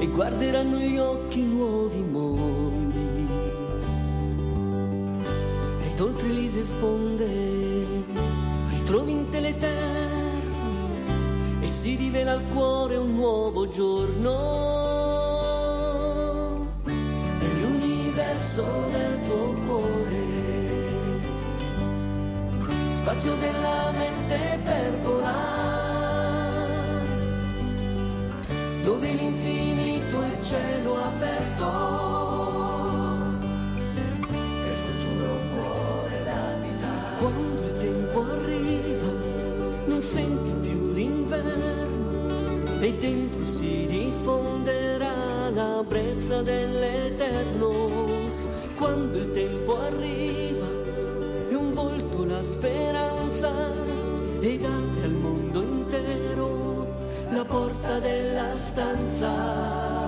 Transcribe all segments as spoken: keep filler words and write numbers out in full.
e guarderanno gli occhi nuovi mondi. Ed oltre lì si sponde, ritrovi in te l'eterno e si rivela al cuore un nuovo giorno. E l'universo del tuo cuore, spazio della mente per volare, dove l'infinito è cielo aperto, e il futuro un cuore d'abitare. Quando il tempo arriva non senti più l'inverno e dentro si diffonderà la brezza dell'eterno. Quando il tempo arriva è un volto la speranza ed apre al mondo intero la porta della stanza.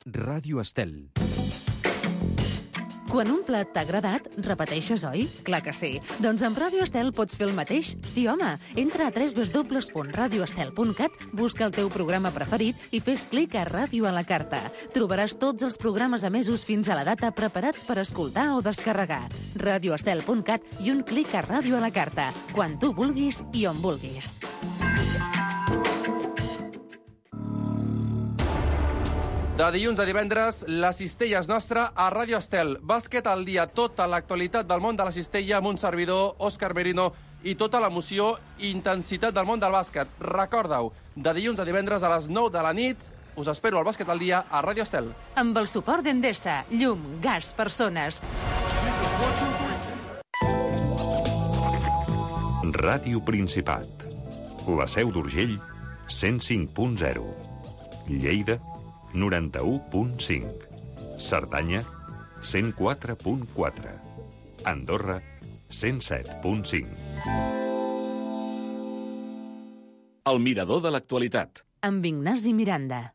Ràdio Estel. Quan un plat t'ha agradat, repeteixes, oi? Clar que sí. Doncs amb Ràdio Estel pots fer el mateix? Sí, home. Entra a w w w punt radio estel punt cat, busca el teu programa preferit i fes clic a Ràdio a la carta. Trobaràs tots els programes emesos fins a la data preparats per escoltar o descarregar. radio estel punt cat i un clic a Ràdio a la carta. Quan tu vulguis i on vulguis. De dilluns a divendres, la cistella és nostra a Ràdio Estel. Bàsquet al dia, tota l'actualitat del món de la cistella amb un servidor, Òscar Merino, i tota l'emoció i intensitat del món del bàsquet. Recorda-ho, de dilluns a divendres a les nou de la nit, us espero al Bàsquet al dia a Ràdio Estel. Amb el suport d'Endesa, llum, gas, persones. Ràdio Principat. La Seu d'Urgell, cent cinc punt zero. Lleida, noranta-u punt cinc. Cerdanya, cent quatre punt quatre. Andorra, cent set punt cinc. El mirador de l'actualitat. Amb Ignasi Miranda.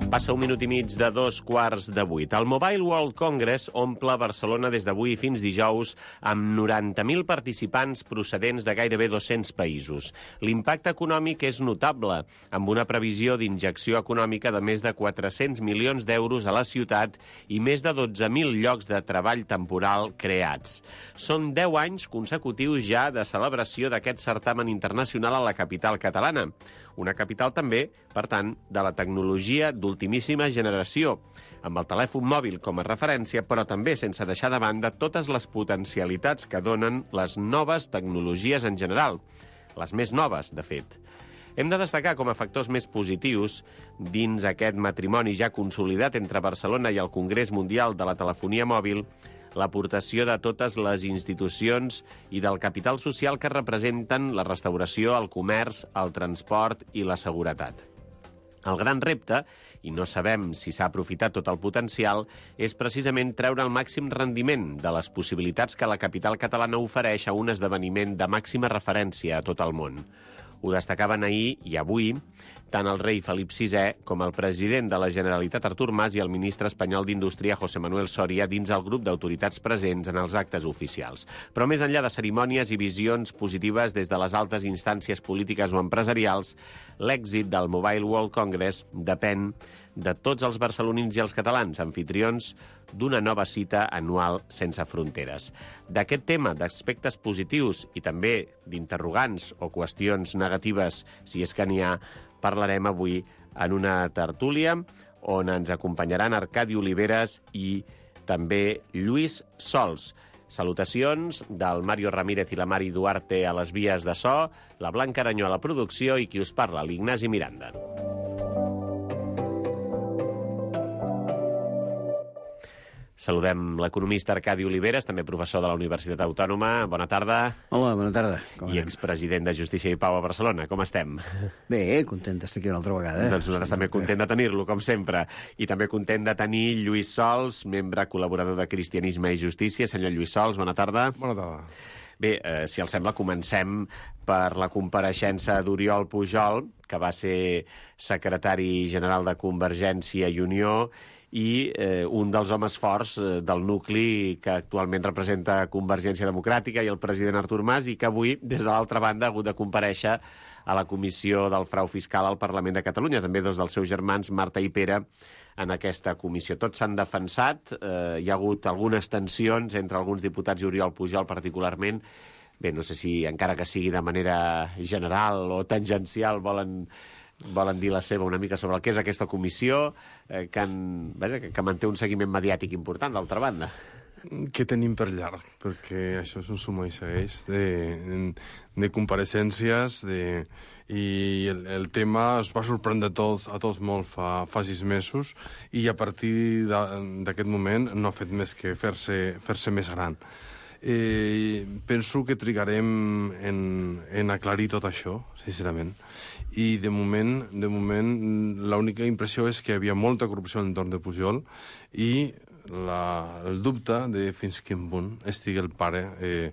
Passa un minut i mig de dos quarts de vuit. El Mobile World Congress omple Barcelona des d'avui fins dijous amb noranta mil participants procedents de gairebé dos-cents països. L'impacte econòmic és notable, amb una previsió d'injecció econòmica de més de quatre-cents milions d'euros a la ciutat i més de dotze mil llocs de treball temporal creats. Són deu anys consecutius ja de celebració d'aquest certamen internacional a la capital catalana. Una capital també, per tant, de la tecnologia d'ultimíssima generació, amb el telèfon mòbil com a referència, però també sense deixar de banda totes les potencialitats que donen les noves tecnologies en general, les més noves, de fet. Hem de destacar com a factors més positius, dins aquest matrimoni ja consolidat entre Barcelona i el Congrés Mundial de la Telefonia Mòbil, l'aportació de totes les institucions i del capital social que representen la restauració, el comerç, el transport i la seguretat. El gran repte, i no sabem si s'ha aprofitat tot el potencial, és precisament treure el màxim rendiment de les possibilitats que la capital catalana ofereix a un esdeveniment de màxima referència a tot el món. Ho destacaven ahir i avui tant el rei Felip sisè com el president de la Generalitat Artur Mas i el ministre espanyol d'Indústria José Manuel Soria dins el grup d'autoritats presents en els actes oficials. Però més enllà de cerimònies i visions positives des de les altes instàncies polítiques o empresarials, l'èxit del Mobile World Congress depèn de tots els barcelonins i els catalans, anfitrions d'una nova cita anual sense fronteres. D'aquest tema, d'aspectes positius i també d'interrogants o qüestions negatives, si és que n'hi ha, parlarem avui en una tertúlia on ens acompanyaran Arcadi Oliveres i també Lluís Sols. Salutacions del Mario Ramírez i la Mari Duarte a les vies de so, la Blanca Aranyó a la producció i qui us parla, l'Ignasi Miranda. Saludem l'economista Arcadi Oliveres, també professor de la Universitat Autònoma. Bona tarda. Hola, bona tarda. Com I expresident de Justícia i Pau a Barcelona. Com estem? Bé, content d'estar aquí una altra vegada. Doncs nosaltres també content de tenir-lo, com sempre. I també content de tenir Lluís Sols, membre col·laborador de Cristianisme i Justícia. Senyor Lluís Sols, bona tarda. Bona tarda. Bé, eh, si els sembla, comencem per la compareixença d'Oriol Pujol, que va ser secretari general de Convergència i Unió i eh, un dels homes forts eh, del nucli que actualment representa Convergència Democràtica i el president Artur Mas i que avui, des de l'altra banda, ha hagut de comparèixer a la Comissió del Frau Fiscal al Parlament de Catalunya. També dos dels seus germans, Marta i Pere, en aquesta comissió. Tots s'han defensat, eh, hi ha hagut algunes tensions entre alguns diputats i Oriol Pujol particularment. Bé, no sé si, encara que sigui de manera general o tangencial, volen volen dir la seva una mica sobre el que és aquesta comissió, eh, que, en, vaja, que, que manté un seguiment mediàtic important, d'altra banda. Què tenim per llarg? Perquè això és un suma i segueix de, de compareixences de, i el, el tema es va sorprendre a tots, a tots molt fa, fa sis mesos i a partir d'aquest moment no ha fet més que fer-se fer-se més gran. Eh, penso que trigarem en, en aclarir tot això, sincerament. I de moment, de moment l'única impressió és que hi havia molta corrupció en entorn de Pujol i la, el dubte de fins quin punt estigui el pare eh,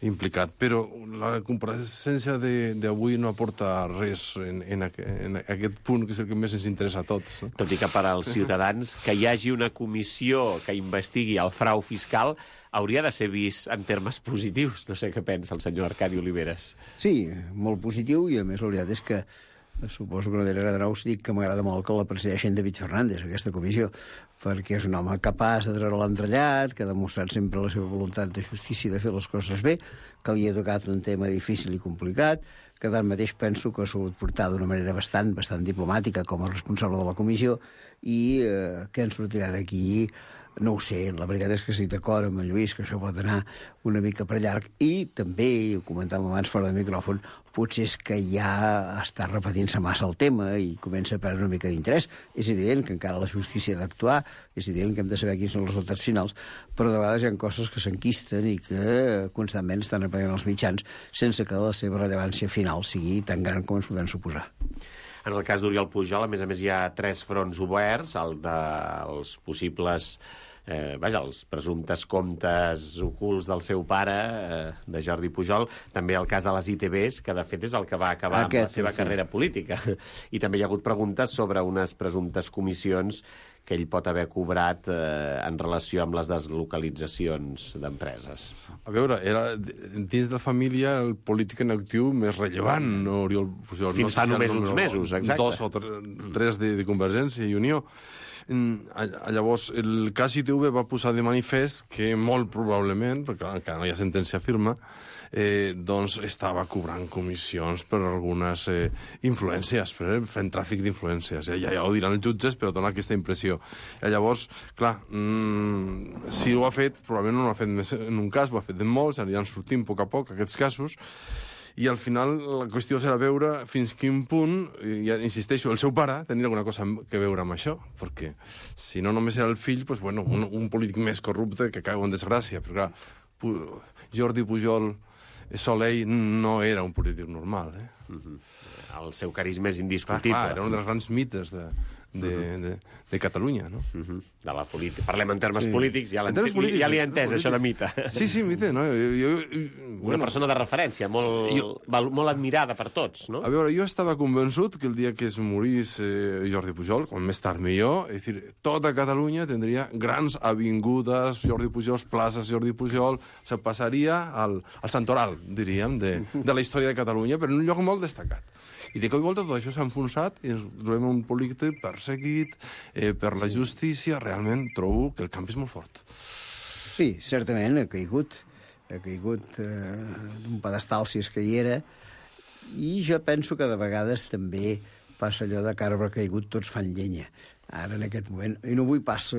implicat. Però la compareixença d'avui no aporta res en, en, aqu en aquest punt, que és el que més ens interessa a tots. No? Tot i que per als ciutadans que hi hagi una comissió que investigui el frau fiscal hauria de ser vist en termes positius. No sé què pensa el senyor Arcadi Oliveres. Sí, molt positiu, i a més la veritat és que suposo que no diré res de nou si dic que m'agrada molt que la presideixen David Fernández, aquesta comissió, perquè és un home capaç de treure l'entrellat, que ha demostrat sempre la seva voluntat de justícia i de fer les coses bé, que li ha tocat un tema difícil i complicat, que tanmateix penso que ha sabut portar d'una manera bastant, bastant diplomàtica com a responsable de la comissió, i eh, que en sortirà d'aquí. No ho sé, la veritat és que estic d'acord amb en Lluís, que això pot anar una mica per llarg, i també, ho comentàvem abans fora del micròfon, potser és que ja està repetint-se massa el tema i comença a perdre una mica d'interès. És evident que encara la justícia ha d'actuar, és evident que hem de saber quins són els resultats finals, però de vegades hi ha coses que s'enquisten i que constantment estan apareixent als mitjans sense que la seva rellevància final sigui tan gran com ens podem suposar. En el cas d'Oriol Pujol, a més a més, hi ha tres fronts oberts, el dels possibles... Eh, vaja, els presumptes comptes ocults del seu pare, eh, de Jordi Pujol, també el cas de les I T Bs, que de fet és el que va acabar Aquest, amb la seva sí. carrera política. I també hi ha hagut preguntes sobre unes presumptes comissions que ell pot haver cobrat eh, en relació amb les deslocalitzacions d'empreses. A veure, era dins de la família el polític en actiu més rellevant, no, Oriol Pujol. Fins no fa si només uns mesos, exacte. Dos o tres de, de Convergència i Unió. Llavors, el cas I T V va posar de manifest que molt probablement, perquè encara no hi ha sentència firma, eh, doncs estava cobrant comissions per algunes eh, influències, per, fent tràfic d'influències. Ja, ja ho diran els jutges, però dona aquesta impressió. I llavors, clar, mmm, si ho ha fet, probablement no ho ha fet més en un cas, ho ha fet en molts, aniran sortint a poc a poc aquests casos, i al final la qüestió serà veure fins quin punt, i insisteixo, el seu pare tenia alguna cosa que veure amb això, perquè si no només era el fill, doncs, bueno, un, un polític més corrupte que cau en desgràcia, però clar, Jordi Pujol Soleil no era un polític normal, eh? Mm-hmm. El seu carisma és indiscutible. Clar, clar, era un dels grans mites de, de, de, de Catalunya, no? Mm-hmm. De la política. Parlem en termes sí. polítics, ja, polítics, ja li he entès, això de mite. Sí, sí, mite, no? Jo, jo, Una bueno, persona de referència, molt, jo, molt admirada per tots, no? A veure, jo estava convençut que el dia que es morís eh, Jordi Pujol, com més tard millor, és dir, tota Catalunya tindria grans avingudes, Jordi Pujol, places Jordi Pujol, o sigui, passaria al, al santoral, diríem, de, de la història de Catalunya, però en un lloc molt destacat. I de cop i volta tot això s'ha enfonsat i ens trobem un polític perseguit eh, per la justícia. Realment trobo que el canvi és molt fort. Sí, certament, ha caigut. Ha caigut eh, d'un pedestal, si és que hi era. I jo penso que de vegades també passa allò de que arbre caigut tots fan llenya. Ara, en aquest moment, i no vull pas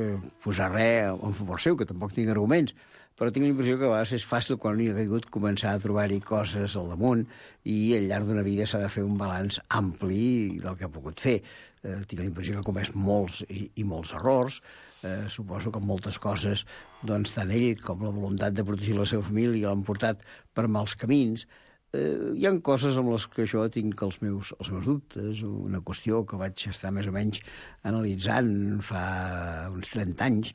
posar res en favor seu, que tampoc tinc arguments, però tinc la impressió que a vegades és fàcil, quan hi ha caigut, començar a trobar-hi coses al damunt i al llarg d'una vida s'ha de fer un balanç ampli del que ha pogut fer. Eh, tinc la impressió que ha comès molts i, i molts errors. Eh, suposo que moltes coses, doncs, tant ell com la voluntat de protegir la seva família l'han portat per mals camins. Eh, hi ha coses amb les que jo tinc els meus, els meus dubtes. Una qüestió que vaig estar més o menys analitzant fa uns trenta anys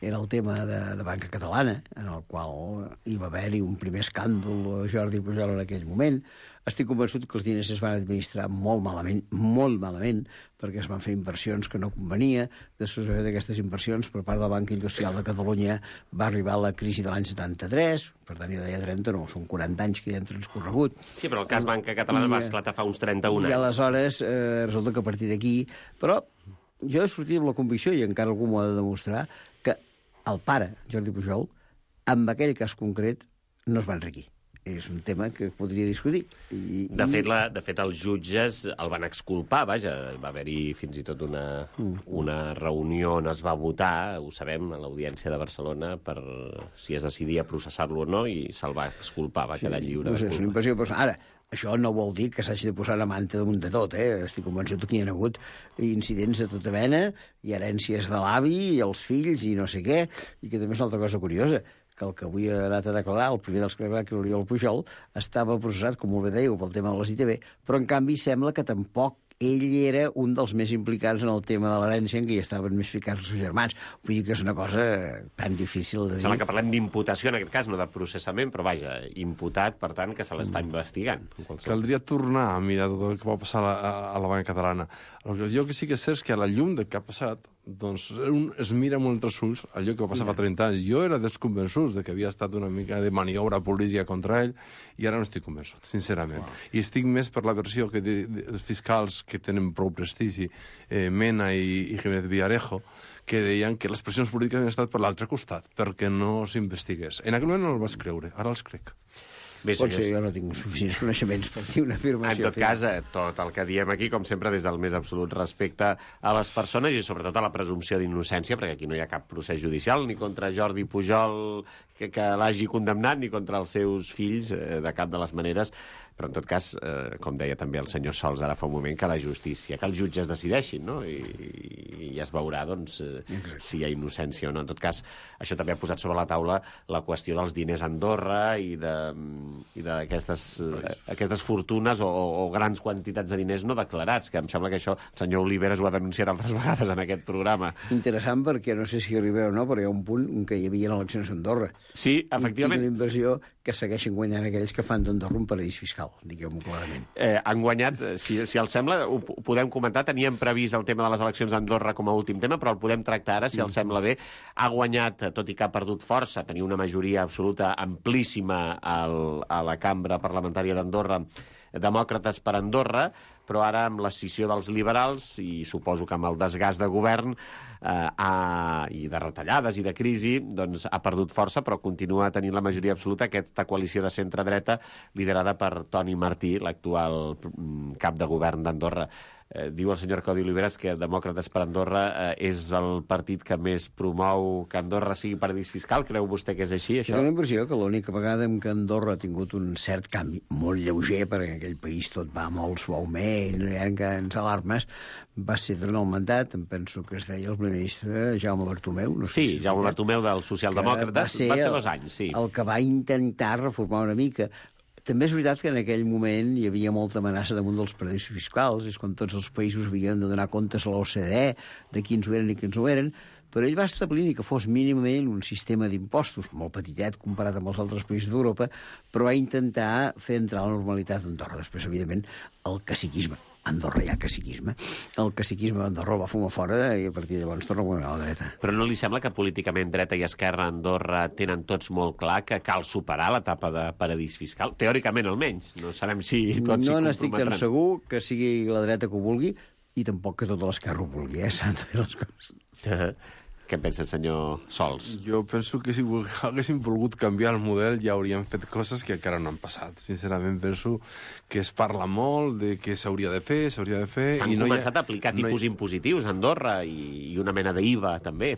era el tema de, de Banca Catalana, en el qual hi va haver-hi un primer escàndol a Jordi Pujol en aquell moment. Estic convençut que els diners es van administrar molt malament, molt malament, perquè es van fer inversions que no convenia. Després d'aquestes inversions, per part del Banc Industrial de Catalunya, va arribar la crisi de l'any setanta-tres, per tant, ja deia trenta, no, són quaranta anys que ja han transcorregut. Sí, però el cas Banca Catalana I, va esclatar fa uns trenta-un anys. I aleshores eh, resulta que a partir d'aquí... Però jo he sortit amb la convicció, i encara algú m'ho ha de demostrar, que el pare, Jordi Pujol, amb aquell cas concret, no es va enriquir. És un tema que podria discutir. I, de, fet, la, de fet, els jutges el van exculpar, vaja, va haver-hi fins i tot una, mm. una reunió on es va votar, ho sabem, a l'Audiència de Barcelona, per si es decidia processar-lo o no, i se'l va exculpar, va sí, quedar lliure. No sé, és una impressió personal. Ara, això no vol dir que s'hagi de posar la manta damunt de tot, eh? Estic convençut que hi ha hagut incidents de tota mena, i herències de l'avi, i els fills, i no sé què, i que també és una altra cosa curiosa, que el que avui ha anat a declarar, el primer dels que ha declarat, que era l'Oriol Pujol, estava processat, com molt bé dèieu, pel tema de les I T B, però en canvi sembla que tampoc ell era un dels més implicats en el tema de l'herència, en què hi estaven més ficats els seus germans. Vull dir que és una cosa tan difícil de dir. Sembla que parlem d'imputació, en aquest cas, no de processament, però vaja, imputat, per tant, que se l'està investigant. Caldria tornar a mirar tot el que va passar a la, a la banca catalana. El que jo que sí que és cert és que a la llum del que ha passat, doncs un es mira amb altres ulls allò que va passar fa trenta anys. Jo era dels convençuts de que havia estat una mica de maniobra política contra ell i ara no estic convençut, sincerament. Wow. I estic més per la versió que de, de, dels fiscals que tenen prou prestigi, eh, Mena i, i Jiménez Villarejo, que deien que les pressions polítiques han estat per l'altre costat, perquè no s'investigués. En aquell moment no el vas creure, ara els crec. Bé, Pot ser, jo no tinc suficients coneixements per dir una afirmació. En tot cas, eh, tot el que diem aquí, com sempre, des del més absolut respecte a les persones i sobretot a la presumpció d'innocència, perquè aquí no hi ha cap procés judicial ni contra Jordi Pujol que, que l'hagi condemnat ni contra els seus fills, eh, de cap de les maneres. Però, en tot cas, eh, com deia també el senyor Sols ara fa un moment, que la justícia, que els jutges decideixin, no? I, i ja es veurà, doncs, eh, si hi ha innocència o no. En tot cas, això també ha posat sobre la taula la qüestió dels diners a Andorra i de i d'aquestes eh, aquestes fortunes o, o grans quantitats de diners no declarats, que em sembla que això el senyor Oliveres ho ha denunciat altres vegades en aquest programa. Interessant perquè no sé si arribarà o no, però hi ha un punt en què hi havia eleccions a Andorra. Sí, efectivament. I tinc la impressió que segueixen guanyant aquells que fan d'Andorra un paradís fiscal, diguem-ho clarament. Eh, han guanyat, si, si els sembla, ho, ho podem comentar, teníem previst el tema de les eleccions a Andorra com a últim tema, però el podem tractar ara, si els sembla bé. Ha guanyat, tot i que ha perdut força, tenia una majoria absoluta amplíssima al, a la cambra parlamentària d'Andorra, Demòcrates per Andorra, però ara amb l'escissió dels liberals i suposo que amb el desgast de govern eh, ha, i de retallades i de crisi, doncs ha perdut força, però continua tenint la majoria absoluta aquesta coalició de centre-dreta liderada per Toni Martí, l'actual cap de govern d'Andorra. Eh, diu el senyor Arcadi Oliveres que Demòcrates per Andorra eh, és el partit que més promou que Andorra sigui paradís fiscal. Creu vostè que és així, això? Tinc la impressió que l'única vegada en què Andorra ha tingut un cert canvi, molt lleuger, perquè en aquell país tot va molt suaument, no hi ha grans alarmes, va ser durant el mandat, em penso que es deia el primer ministre Jaume Bartomeu. No sé sí, si Jaume Bartomeu dels Socialdemòcrates, va ser, va ser dos anys, sí. El que va intentar reformar una mica. També és veritat que en aquell moment hi havia molta amenaça damunt dels paradisos fiscals, és quan tots els països havien de donar comptes a l'O C D E de quins ho eren i quins ho eren, però ell va establir ni que fos mínimament un sistema d'impostos, molt petitet comparat amb els altres països d'Europa, però va intentar fer entrar la normalitat d'Andorra. Després, evidentment, el caciquisme. A Andorra hi ha caciquisme. El caciquisme d'Andorra el va fumar fora i a partir de llavors torna a guanyar a la dreta. Però no li sembla que políticament dreta i esquerra a Andorra tenen tots molt clar que cal superar l'etapa de paradís fiscal? Teòricament, almenys. No sabem si tots s'hi comprometran. No n'estic tan segur que sigui la dreta que ho vulgui i tampoc que tota l'esquerra ho vulgui, eh? S'han de fer les coses. Uh-huh. Què en pensa el senyor Sols? Jo penso que si haguéssim volgut canviar el model ja hauríem fet coses que encara no han passat. Sincerament penso que es parla molt de què s'hauria de fer, s'hauria de fer... S'han i no començat ha, a aplicar no tipus hi... impositius a Andorra i, i una mena d'I V A, també.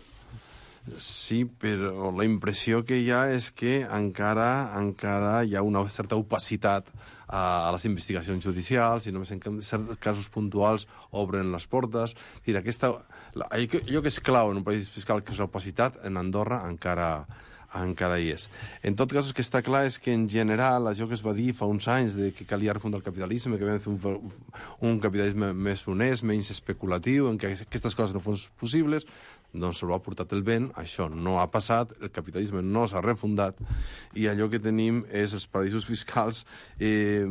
Sí, però la impressió que hi ha és que encara encara hi ha una certa opacitat a, a les investigacions judicials i només en certs casos puntuals obren les portes. Dir, aquesta, la, allò que és clau en un país fiscal, que és l'opacitat, en Andorra encara, encara hi és. En tot cas, el que està clar és que, en general, això que es va dir fa uns anys de que calia refundar el capitalisme, que havia de fer un, un capitalisme més honest, menys especulatiu, en què aquestes coses no fos possibles, doncs se l'ha portat el vent, això no ha passat, el capitalisme no s'ha refundat, i allò que tenim és els paradisos fiscals. Eh,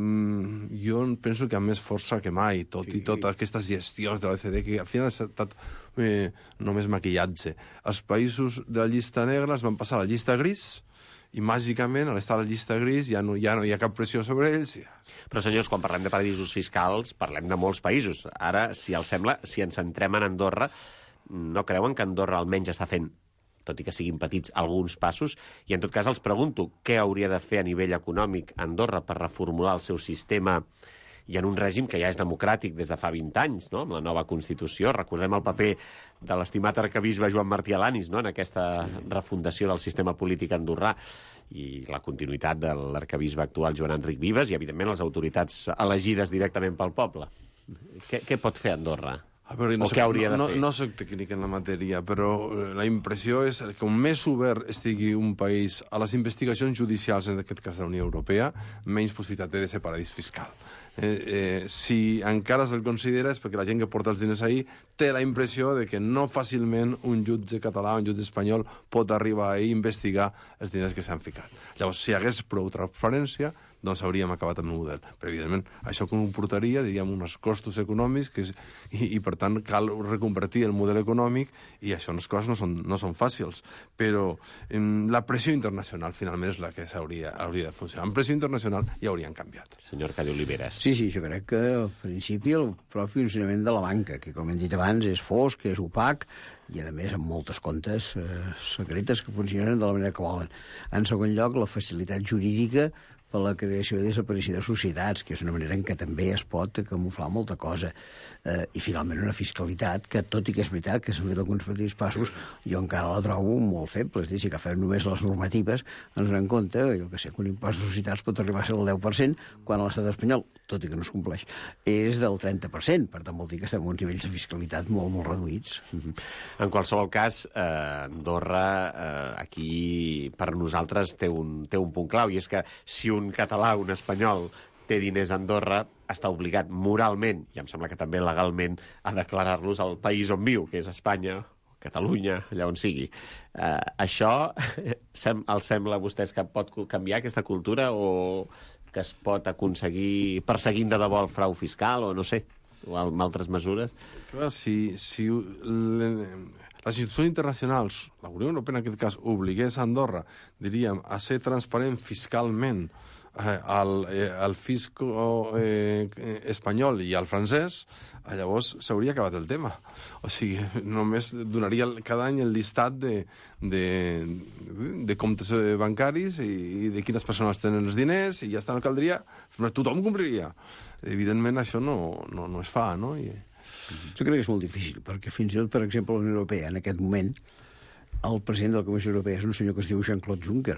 jo penso que amb més força que mai, tot sí. I totes aquestes gestions de l'O E C D, que al final ha estat eh, només maquillatge. Els països de la llista negra es van passar a la llista gris, i màgicament, a l'estar a la llista gris, ja no, ja no hi ha cap pressió sobre ells. Però, senyors, quan parlem de paradisos fiscals, parlem de molts països. Ara, si els sembla, si ens centrem en Andorra, no creuen que Andorra almenys està fent, tot i que siguin petits, alguns passos? I en tot cas els pregunto, què hauria de fer a nivell econòmic Andorra per reformular el seu sistema i en un règim que ja és democràtic des de fa vint anys, no? Amb la nova Constitució? Recordem el paper de l'estimat arquebisbe Joan Martí Alanis, no? En aquesta refundació del sistema polític andorrà i la continuïtat de l'arquebisbe actual Joan Enric Vives i, evidentment, les autoritats elegides directament pel poble. Què, què pot fer Andorra? A veure, no o què hauria de no, fer? No, no soc tècnic en la matèria, però la impressió és que com més obert estigui un país a les investigacions judicials, en aquest cas de la Unió Europea, menys possibilitat té de ser paradís fiscal. Eh, eh, si encara se'l considera és perquè la gent que porta els diners ahí té la impressió de que no fàcilment un jutge català o un jutge espanyol pot arribar a investigar els diners que s'han ficat. Llavors, si hi hagués prou transparència, doncs hauríem acabat amb el model. Però, evidentment, això comportaria, diríem, uns costos econòmics que és, i, i, per tant, cal reconvertir el model econòmic i això, les coses no són, no són fàcils. Però eh, la pressió internacional, finalment, és la que hauria, hauria de funcionar. Amb pressió internacional ja haurien canviat. Senyor Arcadi Oliveres. Sí, sí, jo crec que, al principi, el propi funcionament de la banca, que, com hem dit abans, és fosc, és opac, i, a més, amb moltes comptes eh, secretes que funcionen de la manera que volen. En segon lloc, la facilitat jurídica per la creació i desaparició de societats, que és una manera en què també es pot camuflar molta cosa. Eh, I, finalment, una fiscalitat que, tot i que és veritat que s'han fet alguns petits passos, jo encara la trobo molt feble. És a dir, si agafem només les normatives, ens donem compte, jo que sé, que un impost de societats pot arribar a ser del deu per cent, quan a l'estat espanyol, tot i que no es compleix, és del trenta per cent. Per tant, vol dir que estem a uns nivells de fiscalitat molt, molt reduïts. En qualsevol cas, eh, Andorra, eh, aquí, per nosaltres, té un, té un punt clau, i és que si un català, un espanyol, té diners a Andorra, està obligat moralment, i em sembla que també legalment, a declarar-los al país on viu, que és Espanya, Catalunya, allà on sigui. Eh, això sem els sembla a vostès que pot canviar aquesta cultura o que es pot aconseguir perseguint de debò el frau fiscal o no sé, o amb altres mesures? Clar, si, si les institucions internacionals, la Unió Europea en aquest cas, obligués a Andorra, diríem, a ser transparent fiscalment eh, al, eh, al fisco eh, espanyol i al francès, llavors s'hauria acabat el tema. O sigui, només donaria cada any el llistat de, de, de comptes bancaris i, i de quines persones tenen els diners, i ja està, no caldria, tothom compliria. Evidentment, això no, no, no es fa, no? I... Jo crec que és molt difícil, perquè fins i tot, per exemple, la Unió Europea, en aquest moment, el president de la Comissió Europea és un senyor que es diu Jean-Claude Juncker,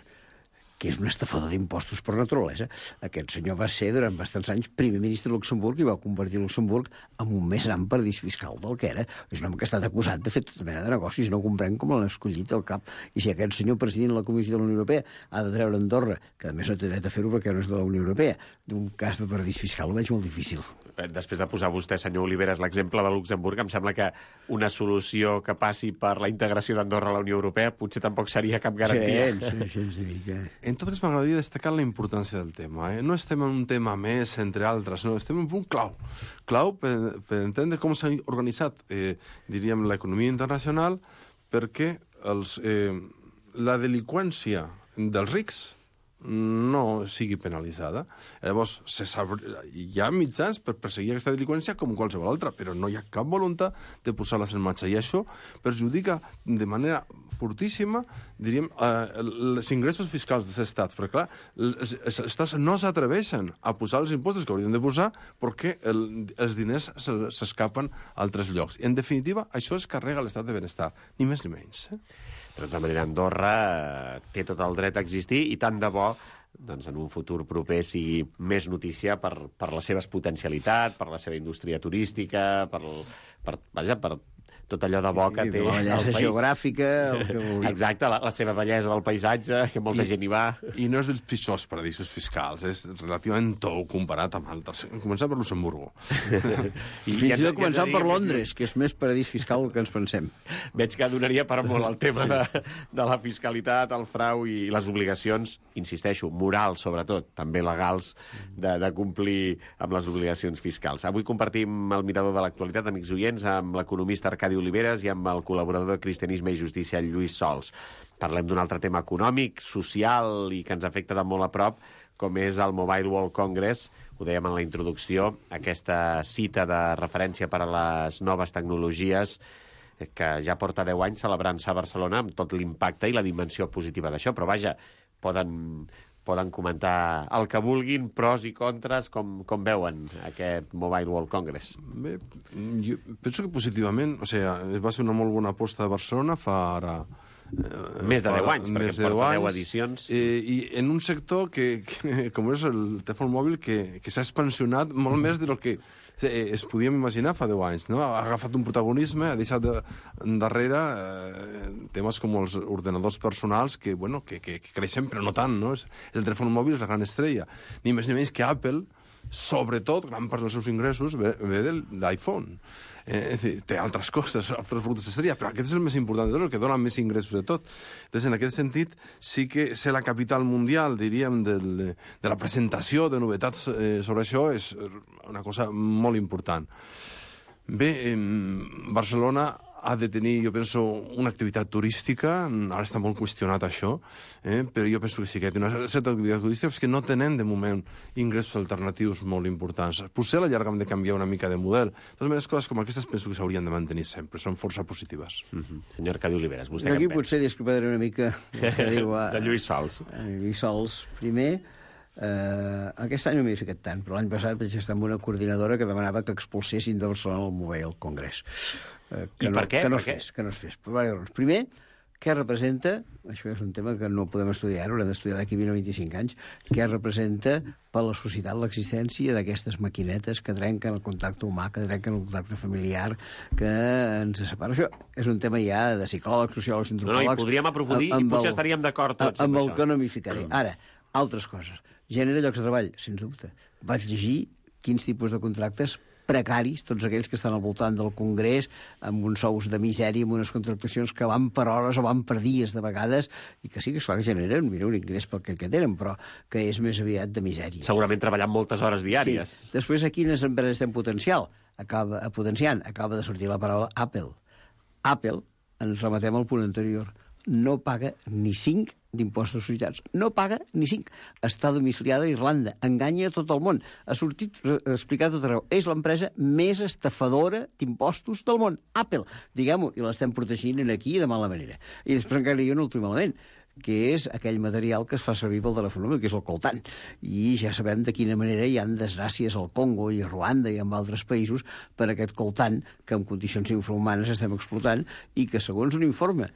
que és un estafador d'impostos per naturalesa. Aquest senyor va ser, durant bastants anys, primer ministre de Luxemburg i va convertir Luxemburg en un més gran paradís fiscal del que era. És un home que ha estat acusat de fer tota mena de negocis, no comprenc com l'han escollit al cap. I si aquest senyor president de la Comissió de la Unió Europea ha de treure Andorra, que a més no té dret a fer-ho perquè no és de la Unió Europea, d'un cas de paradís fiscal, ho veig molt difícil. Després de posar vostè, senyor Oliveres, l'exemple de Luxemburg, em sembla que una solució que passi per la integració d'Andorra a la Unió Europea potser tampoc seria cap garantia. Sí, sí, sí, sí. En tot cas, m'agradaria destacar la importància del tema. Eh? No estem en un tema més, entre altres, no, estem en un punt clau. Clau per, per entendre com s'ha organitzat, eh, diríem, l'economia internacional, perquè els, eh, la delinqüència dels rics no sigui penalitzada. Llavors, se sab... hi ha mitjans per perseguir aquesta delinqüència com qualsevol altra, però no hi ha cap voluntat de posar-les en marxa. I això perjudica de manera fortíssima, diríem, eh, els ingressos fiscals dels estats. Perquè, clar, els, els estats no s'atreveixen a posar els impostos que haurien de posar perquè el, els diners s'escapen a altres llocs. I, en definitiva, això es carrega l'estat de benestar, ni més ni menys. Eh? De tota manera, Andorra té tot el dret a existir i tant de bo doncs, en un futur proper sigui més notícia per, per les seves potencialitats, per la seva indústria turística, per, per, vaja, per tot allò de bo que té la bellesa el país. Geogràfica, el que vulgui. Exacte, la, la seva bellesa del paisatge, que molta I, gent hi va. I no és dels pitjors paradisos fiscals, és relativament tou comparat amb altres. Començar per Luxemburgo. I fins i tot començar per Londres, que és més paradís fiscal que ens pensem. Veig que donaria per molt el tema sí. de, de la fiscalitat, el frau i les obligacions, insisteixo, morals sobretot, també legals, de, de complir amb les obligacions fiscals. Avui compartim el mirador de l'actualitat, amics oients, amb l'economista Arcadi Oliveres i amb el col·laborador de Cristianisme i Justícia, Lluís Sols. Parlem d'un altre tema econòmic, social i que ens afecta de molt a prop, com és el Mobile World Congress. Ho dèiem en la introducció, aquesta cita de referència per a les noves tecnologies que ja porta deu anys celebrant-se a Barcelona amb tot l'impacte i la dimensió positiva d'això. Però vaja, poden... poden comentar el que vulguin, pros i contres, com, com veuen aquest Mobile World Congress. Bé, jo penso que positivament, o sigui, va ser una molt bona aposta de Barcelona fa ara Eh, més de deu anys, perquè porta deu edicions. Eh, I en un sector que, que com és el telèfon mòbil, que, que s'ha expansionat molt més del que es podíem imaginar fa deu anys, no? Ha agafat un protagonisme, ha deixat de, darrere eh, temes com els ordenadors personals que, bueno, que, que, que creixen, però no tant, no? És, el telèfon mòbil és la gran estrella. Ni més ni menys que Apple, sobretot, gran part dels seus ingressos ve, ve de l'iPhone. Eh, és dir, té altres coses, altres productes estrella, però aquest és el més important de tot, el que dona més ingressos de tot. Entonces, en aquest sentit, sí que ser la capital mundial, diríem, del, de la presentació de novetats eh, sobre això és una cosa molt important. Bé, eh, Barcelona ha de tenir, jo penso, una activitat turística, ara està molt qüestionat això, eh? però jo penso que sí que té una certa activitat turística, és que no tenen de moment ingressos alternatius molt importants. Potser a la llarga hem de canviar una mica de model. De totes maneres, coses com aquestes penso que s'haurien de mantenir sempre, són força positives. Mm-hmm. Senyor Arcadi Oliveres, vostè aquí què potser discreparé una mica que diu, a, de Lluís Sols. Lluís Sols, primer, Uh, aquest any no m'hi he ficat tant, però l'any passat vaig estar amb una coordinadora que demanava que expulsessin de Barcelona el Mobile Congress. Uh, que I no, per què? Que no per es què? fes, que no es fes, per diverses raons. Primer, què representa, això és un tema que no podem estudiar, haurem d'estudiar d'aquí vint o vint-i-cinc anys, què representa per la societat l'existència d'aquestes maquinetes que trenquen el contacte humà, que trenquen el contacte familiar, que ens separa. Això és un tema ja de psicòlegs, sociòlegs, antropòlegs... No, no, i podríem aprofundir i potser estaríem d'acord tots amb, amb el això. que no m'hi ficaré. Ara, altres coses. Genera llocs de treball, sens dubte. Vaig llegir quins tipus de contractes precaris, tots aquells que estan al voltant del Congrés, amb uns sous de misèria, amb unes contractacions que van per hores o van per dies de vegades, i que sí que, esclar, que generen mira, un ingrés pel que, que tenen, però que és més aviat de misèria. Segurament treballant moltes hores diàries. Sí. Després, a quines empreses estem potencial? Acaba, potenciant? Acaba de sortir la paraula Apple. Apple, ens remetem al punt anterior, no paga ni cinc d'impostos de societats. No paga ni cinc. Està domiciliada a Irlanda. Enganya a tot el món. Ha sortit explicat tot arreu. És l'empresa més estafadora d'impostos del món. Apple. Diguem-ho, i l'estem protegint aquí de mala manera. I després encara hi ha un últim element, que és aquell material que es fa servir pel telèfon mòbil, que és el coltan. I ja sabem de quina manera hi ha desgràcies al Congo i a Ruanda i en altres països per aquest coltan que en condicions infrahumanes estem explotant i que, segons un informe,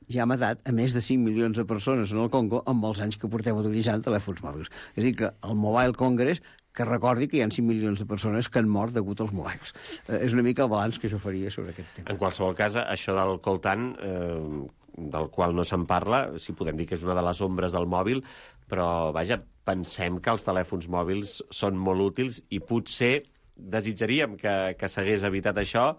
ja ha matat a més de cinc milions de persones en el Congo amb els anys que portem utilitzant telèfons mòbils. És a dir, que el Mobile Congress, que recordi que hi ha cinc milions de persones que han mort degut als mobiles. Eh, és una mica el balanç que jo faria sobre aquest tema. En qualsevol cas, això del coltan, eh, del qual no se'n parla, si podem dir que és una de les ombres del mòbil, però, vaja, pensem que els telèfons mòbils són molt útils i potser desitjaríem que, que s'hagués evitat això,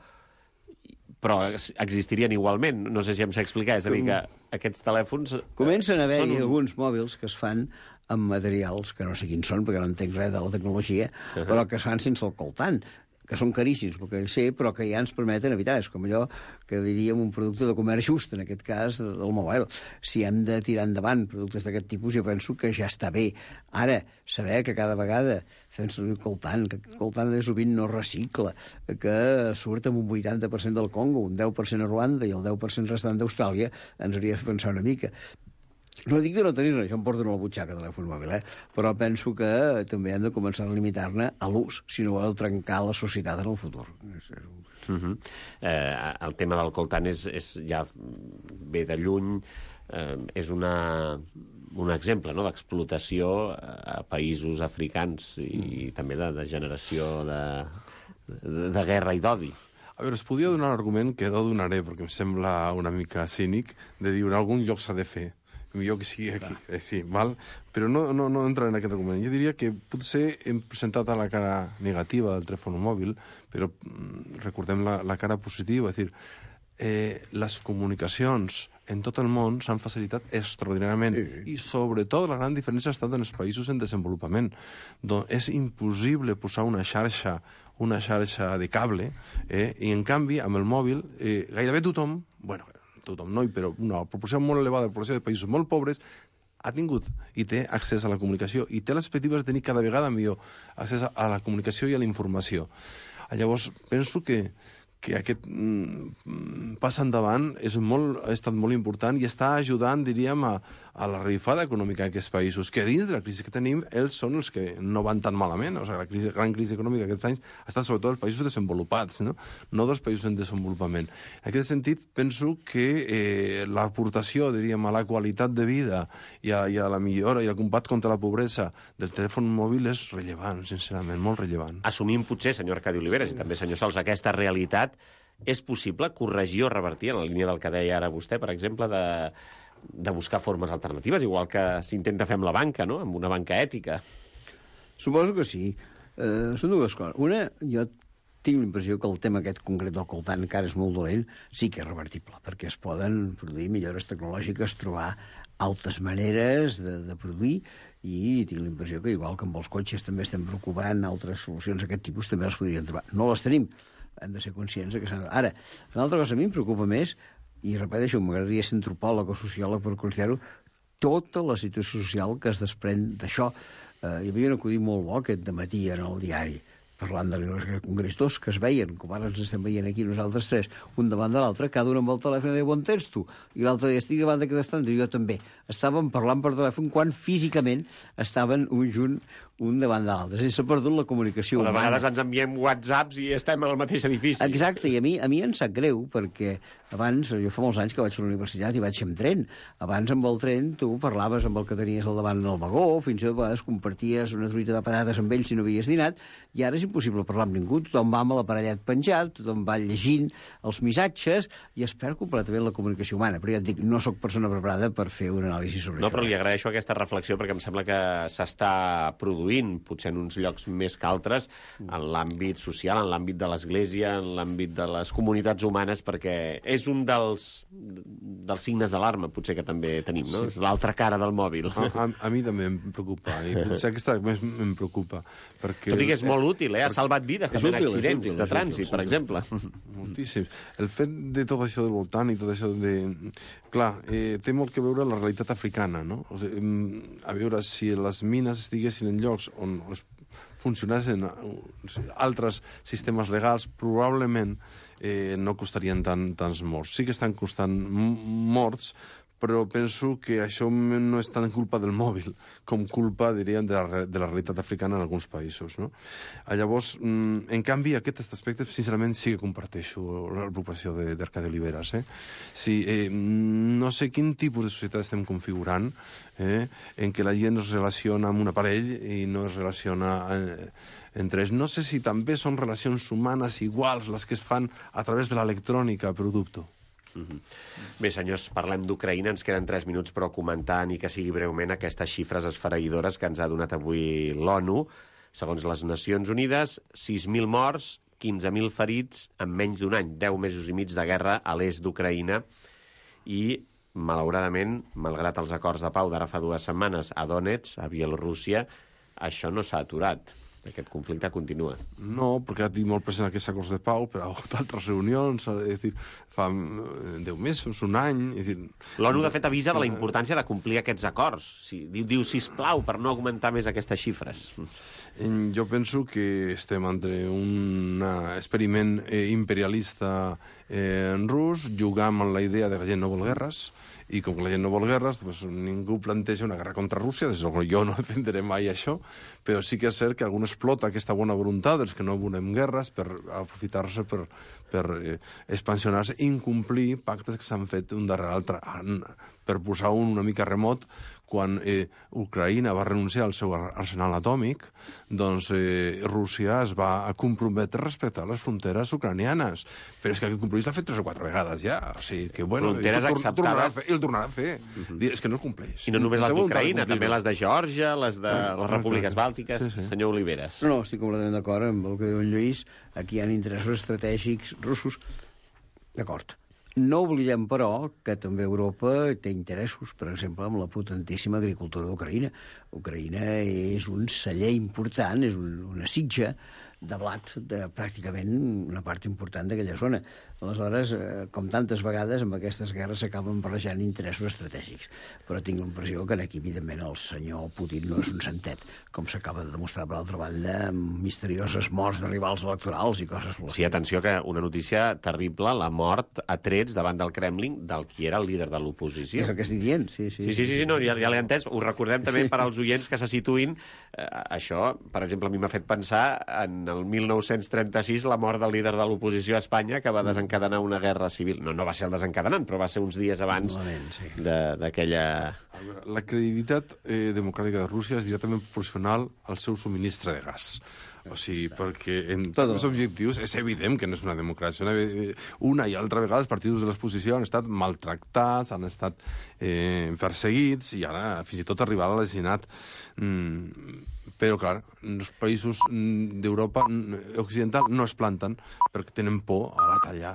però existirien igualment. No sé si em sé explicar. És a dir, que aquests telèfons... Comencen a haver-hi un... alguns mòbils que es fan amb materials que no sé quins són, perquè no entenc res de la tecnologia, uh -huh. però que es fan sense el coltan, que són caríssims, perquè sé, però que ja ens permeten evitar. És com allò que diríem un producte de comerç just, en aquest cas, del mobile. Si hem de tirar endavant productes d'aquest tipus, jo penso que ja està bé. Ara, saber que cada vegada fem servir coltan, que coltan de sovint no recicla, que surt amb un vuitanta per cent del Congo, un deu per cent a Ruanda i el deu per cent restant d'Austràlia, ens hauria de pensar una mica. No dic de no tenir-ne, això em porta a la butxaca de telèfon mòbil, eh? Però penso que també hem de començar a limitar-ne a l'ús, si no vol trencar la societat en el futur. Uh -huh. eh, el tema del coltan és, és ja ve de lluny, eh, és una, un exemple, no?, d'explotació a països africans i, i també de, de generació de, de, de guerra i d'odi. A veure, es podia donar l'argument que no donaré, perquè em sembla una mica cínic, de dir en algun lloc s'ha de fer. Millor que sigui aquí, eh, sí, val? Però no, no, no entraré en aquest argument. Jo diria que potser hem presentat a la cara negativa del telèfon mòbil, però mm, recordem la, la cara positiva, és a dir, eh, les comunicacions en tot el món s'han facilitat extraordinàriament sí. I sobretot la gran diferència ha estat en els països en desenvolupament. Doncs és impossible posar una xarxa una xarxa de cable eh, i en canvi amb el mòbil eh, gairebé tothom, bueno, tothom no, però una proporció molt elevada, la proporció de països molt pobres, ha tingut i té accés a la comunicació i té les perspectives de tenir cada vegada millor accés a la comunicació i a la informació. Llavors, penso que, que aquest mm, pas endavant és molt, ha estat molt important i està ajudant, diríem, a, a la revifada econòmica d'aquests països, que dins de la crisi que tenim, ells són els que no van tan malament. O sigui, la crisi, gran crisi econòmica aquests anys ha estat sobretot dels països desenvolupats, no, no dels països en desenvolupament. En aquest sentit, penso que eh, l'aportació, diríem, a la qualitat de vida i a, i a la millora i al combat contra la pobresa del telèfon mòbil és rellevant, sincerament, molt rellevant. Assumim potser, senyor Arcadi Oliveres, i també senyor Sols, aquesta realitat, és possible corregir o revertir, en la línia del que deia ara vostè, per exemple, de, de buscar formes alternatives, igual que s'intenta fer amb la banca, no?, amb una banca ètica. Suposo que sí. Uh, són dues coses. Una, jo tinc l'impressió que el tema aquest concret del coltan encara és molt dolent, sí que és revertible, perquè es poden produir millores tecnològiques, trobar altres maneres de, de produir, i tinc la impressió que, igual que amb els cotxes també estem recuperant altres solucions d'aquest tipus, també les podríem trobar. No les tenim, hem de ser conscients que s'han de... Ara, una altra cosa a mi em preocupa més, i repeteixo, m'agradaria ser antropòleg o sociòleg per considerar-ho, tota la situació social que es desprèn d'això. Eh, hi havia un acudit molt bo aquest dematí en el diari, parlant de l'Congrés, dos que es veien, com ara ens estem veient aquí nosaltres tres, un davant de l'altre, cada un amb el telèfon i deia, on tens tu? I l'altre deia, estic davant d'aquest estand, i jo també. Estàvem parlant per telèfon quan físicament estaven un junt, un davant de l'altre. És a dir, s'ha perdut la comunicació humana. A vegades ens enviem whatsapps i estem al mateix edifici. Exacte, i a mi, a mi em sap greu, perquè abans, jo fa molts anys que vaig a la universitat i vaig amb tren. Abans amb el tren tu parlaves amb el que tenies al davant en el vagó, fins i tot a vegades comparties una truita de patates amb ell si no havies dinat, i ara és impossible parlar amb ningú, tothom va amb l'aparellet penjat, tothom va llegint els missatges i es perd completament la comunicació humana. Però ja et dic, no sóc persona preparada per fer una anàlisi sobre no, això. No, però li agraeixo aquesta reflexió perquè em sembla que s'està produint, potser en uns llocs més que altres, en l'àmbit social, en l'àmbit de l'Església, en l'àmbit de les comunitats humanes, perquè és un dels, dels signes d'alarma, potser, que també tenim, no? Sí. És l'altra cara del mòbil. A, a, a mi també em preocupa, i potser aquesta més em preocupa. Perquè, tot i que és molt útil, eh? Ha salvat vides, també en accidents útil, de trànsit, per exemple. Moltíssim. El fet de tot això del voltant i tot això de... Clar, eh, té molt que veure la realitat africana, no? O sigui, a veure, si les mines estiguessin en llocs on es funcionessin altres sistemes legals, probablement eh, no costarien tant, tants morts. Sí que estan costant morts, però penso que això no és tant culpa del mòbil com culpa, diríem, de la, de la realitat africana en alguns països, no? Llavors, en canvi, aquest aspecte, sincerament, sí que comparteixo la preocupació d'Arcadi Oliveres. Eh? Sí, eh, no sé quin tipus de societat estem configurant eh, en què la gent es relaciona amb un aparell i no es relaciona eh, entre ells. No sé si també són relacions humanes iguals les que es fan a través de l'electrònica, però dubto. Mm-hmm. Bé, senyors, parlem d'Ucraïna, ens queden tres minuts, però comentar, ni que sigui breument, aquestes xifres esfereïdores que ens ha donat avui l'ONU. Segons les Nacions Unides, sis mil morts, quinze mil ferits en menys d'un any, deu mesos i mig de guerra a l'est d'Ucraïna, i, malauradament, malgrat els acords de pau d'ara fa dues setmanes a Donetsk, a Bielorússia, això no s'ha aturat. Aquest conflicte continua. No, perquè ha tingut molt present aquests acords de pau, però d'altres reunions, és dir, fa deu mesos, un any... L'ONU, de fet, avisa de la importància de complir aquests acords. Sí, diu, diu, sisplau, per no augmentar més aquestes xifres. Jo penso que estem entre un experiment imperialista eh, rus, jugant amb la idea de que la gent no vol guerres, i com que la gent no vol guerres, doncs ningú planteja una guerra contra Rússia, des que jo no defenderé mai això, però sí que és cert que algú explota aquesta bona voluntat dels que no volem guerres per aprofitar-se, per, per eh, expansionar-se, incomplir pactes que s'han fet un darrere l'altre, per posar un una mica remot. Quan eh, Ucraïna va renunciar al seu arsenal atòmic, doncs eh, Rússia es va comprometre a respectar les fronteres ucranianes. Però és que aquest compromís l'ha fet tres o quatre vegades ja. O sigui que, bueno, fronteres acceptades... I el tornarà a fer. Uh-huh. És que no el compleix. I no només les d'Ucraïna, també les de Geòrgia, les de ah, les repúbliques clar. Bàltiques. Sí, sí. Senyor Oliveres. No, no, estic completament d'acord amb el que diu en Lluís. Aquí hi ha interessos estratègics russos. D'acord. No oblidem, però, que també Europa té interessos, per exemple, amb la potentíssima agricultura d'Ucraïna. Ucraïna és un celler important, és un, una sitja de blat de pràcticament una part important d'aquella zona. Aleshores, eh, com tantes vegades, amb aquestes guerres s'acaben barrejant interessos estratègics. Però tinc la impressió que aquí, evidentment, el senyor Putin no és un santet, com s'acaba de demostrar, per altra banda, amb misterioses morts de rivals electorals i coses... Sí, atenció, que una notícia terrible, la mort a trets davant del Kremlin del qui era el líder de l'oposició. És el que estic dient, sí, sí. Sí, sí, sí, sí no, ja, ja l'he entès. Ho recordem també sí. Per als oients que se situïn. Eh, això, per exemple, a mi m'ha fet pensar en el mil nou-cents trenta-sis, la mort del líder de l'oposició a Espanya, que va desencadenar una guerra civil. No, no va ser el desencadenant, però va ser uns dies abans sí. d'aquella... La credibilitat eh, democràtica de Rússia és directament proporcional al seu subministre de gas. O sigui, perquè en tots els objectius és evident que no és una democràcia. Una, una i altra vegada els partits de l'exposició han estat maltractats, han estat eh, perseguits i ara fins i tot arribar a l'assassinat. Mm, però, clar, els països d'Europa occidental no es planten perquè tenen por a batallar.